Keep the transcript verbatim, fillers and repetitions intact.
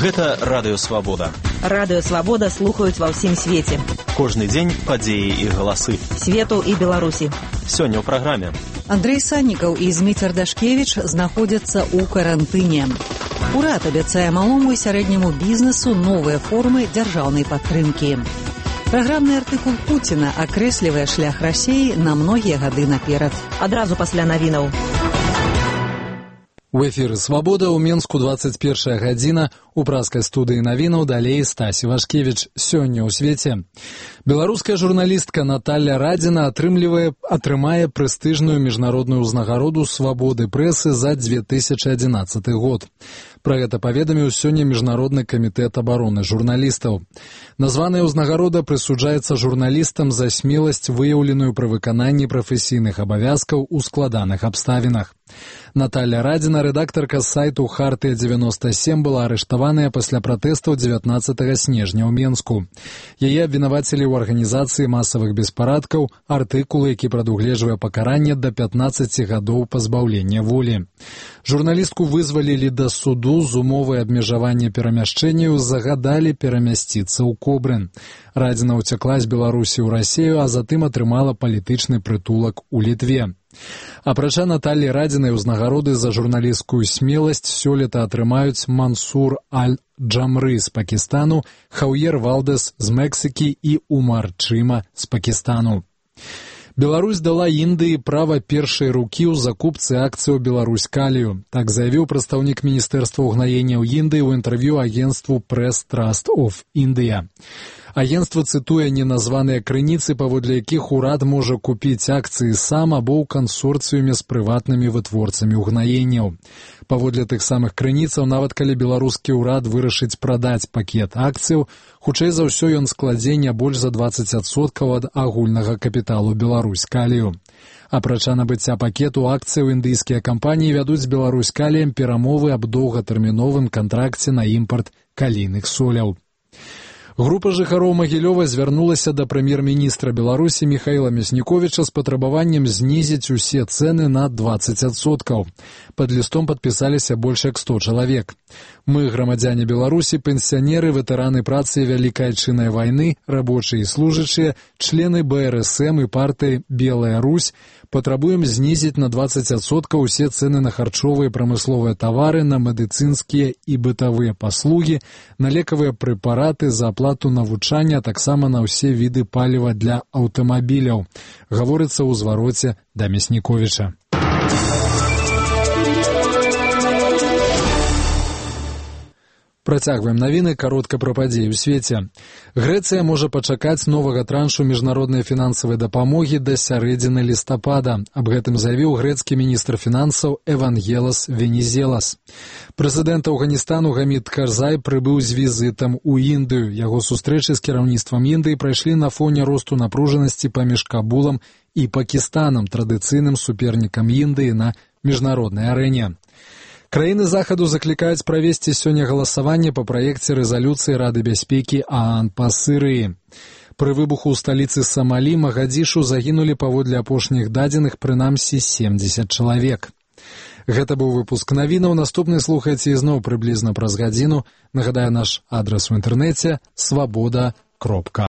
Гэта Радыё Свабода. Радыё Свабода слухаюць ва ўсім свеце. Кожны дзень падзеі і галасы. Свету і Беларусі. Сёння ў праграме. Андрэй Саннікаў і Зміцер Дашкевіч знаходзяцца ў карантыне. Урад абяцае малому і сярэдняму бізнесу новыя формы дзяржаўнай падтрымкі. Праграмны артыкул Пуціна акрэслівае шлях Расіі на многія гады наперад. Адразу пасля навінаў. У эфіры «Свабода» ў Менску дваццаць першая гадзіна. У праскай студыі навінаў далей Стасі Вашкевіч. Сёння ў свеце. Беларуская журналістка Наталля Радзіна атрымлівае, атрымае прэстыжную міжнародную ўзнагароду свабоды прэсы за дзве тысячы адзінаццаты год. Пра гэта паведаміў сёння Міжнародны камітэт абароны журналістаў. Названая ўзнагарода прысуджаецца журналістам за смеласць, выяўленую пры выкананні прафесійных абавязкаў у складаных абставінах. Наталля Радзіна, рэдактарка сайту «Хартыя дзевяноста сем», была арыштаваная пасля пратэстаў дзевятнаццатага снежня ў Менску. Яе абвінавацілі ў арганізацыі масавых беспарадкаў, артыкул, які прадугледжвае пакаранне да пятнаццаці гадоў пазбаўлення волі. Журналістку вызвалілі да суду з умовай абмежавання перамяшчэнняў, загадалі перамясціцца ў Кобрын. Радзіна ўцякла з Беларусі ў Расію, а затым атрымала палітычны прытулак у Літве. Апрача Наталлі Радзінай узнагароды за журналісцкую смеласць сёлета атрымаюць Мансур Аль-Джамры з Пакістану, Хаўер Валдэс з Мексікі і Умар Чыма з Пакістану. Беларусь дала Індыі права першай рукі ў закупцы акцыяў Беларусь-Калію. Так заявіў прадстаўнік Міністэрства ўгнаенняў Індыі ў інтэрв'ю агенцтву Press Trust of India. Агенцтва цытуе неназваныя крыніцы, паводле якіх урад можа купіць акцыі сам або ў кансорцыюме з прыватнымі вытворцамі ўгнаенняў. Паводле тых самых крыніцаў, нават калі беларускі ўрад вырашыць прадаць пакет акцыяў, хутчэй за ўсё ён складзе не больш за дваццаць адсоткаў ад агульнага капіталу Беларусь-Калію. Апрача набыцця пакету акцыяў, індыйскія кампаніі вядуць з Беларусь-Каліем перамовы аб доўгатэрміновым кантракце на імпарт калійных соляў. Група жыхароў Магілёва звярнулася да прэм'ер-міністра Беларусі Міхаіла Мясніковіча з патрабаваннем знізіць усе цэны на дваццаць адсоткаў. Пад лістом падпісаліся больш як сто чалавек. Мы, грамадзяне Беларусі, пенсіянеры, ветэраны працы Вялікай Айчыннай вайны, рабочыя і служачыя, члены бэ эр эс эм і партыі «Белая Русь» патрабуем знізіць на дваццаць адсоткаў усе цэны на харчовыя і прамысловыя тавары, на медыцынскія і бытавыя паслугі, на лекавыя прэпараты, за аплату навучання, а таксама на ўсе віды паліва для аўтамабіляў, гаворыцца ў звароце да Мясніковіча. Працягваем навіны, каротка пра падзеі ў свеце. Грэцыя можа пачакаць новага траншу міжнароднай фінансавай дапамогі да сярэдзіны лістапада. Аб гэтым заявіў грэцкі міністр фінансаў Евангелос Венізелас. Прэзідэнт Афганістану Гамід Карзай прыбыў з візітам у Індыю. Яго сустрэчы з кіраўніцтвам Індыі прайшлі на фоне росту напружанасці паміж Кабулам і Пакістанам, традыцыйным супернікам Індыі на міжнароднай арэне. Краіны захаду заклікаюць правесці сёння галасаванне па праекце рэзалюцыі Рады бяспекі ААН па Сірыі. Пры выбуху ў сталіцы Самалі Магадзішу загінулі паводле апошніх дадзеных прынамсі семдзесят чалавек. Гэта быў выпуск навінаў. Наступны слухайце ізноў прыблізна праз гадзіну. Нагадаю, наш адрас у інтэрнэце свабода кропка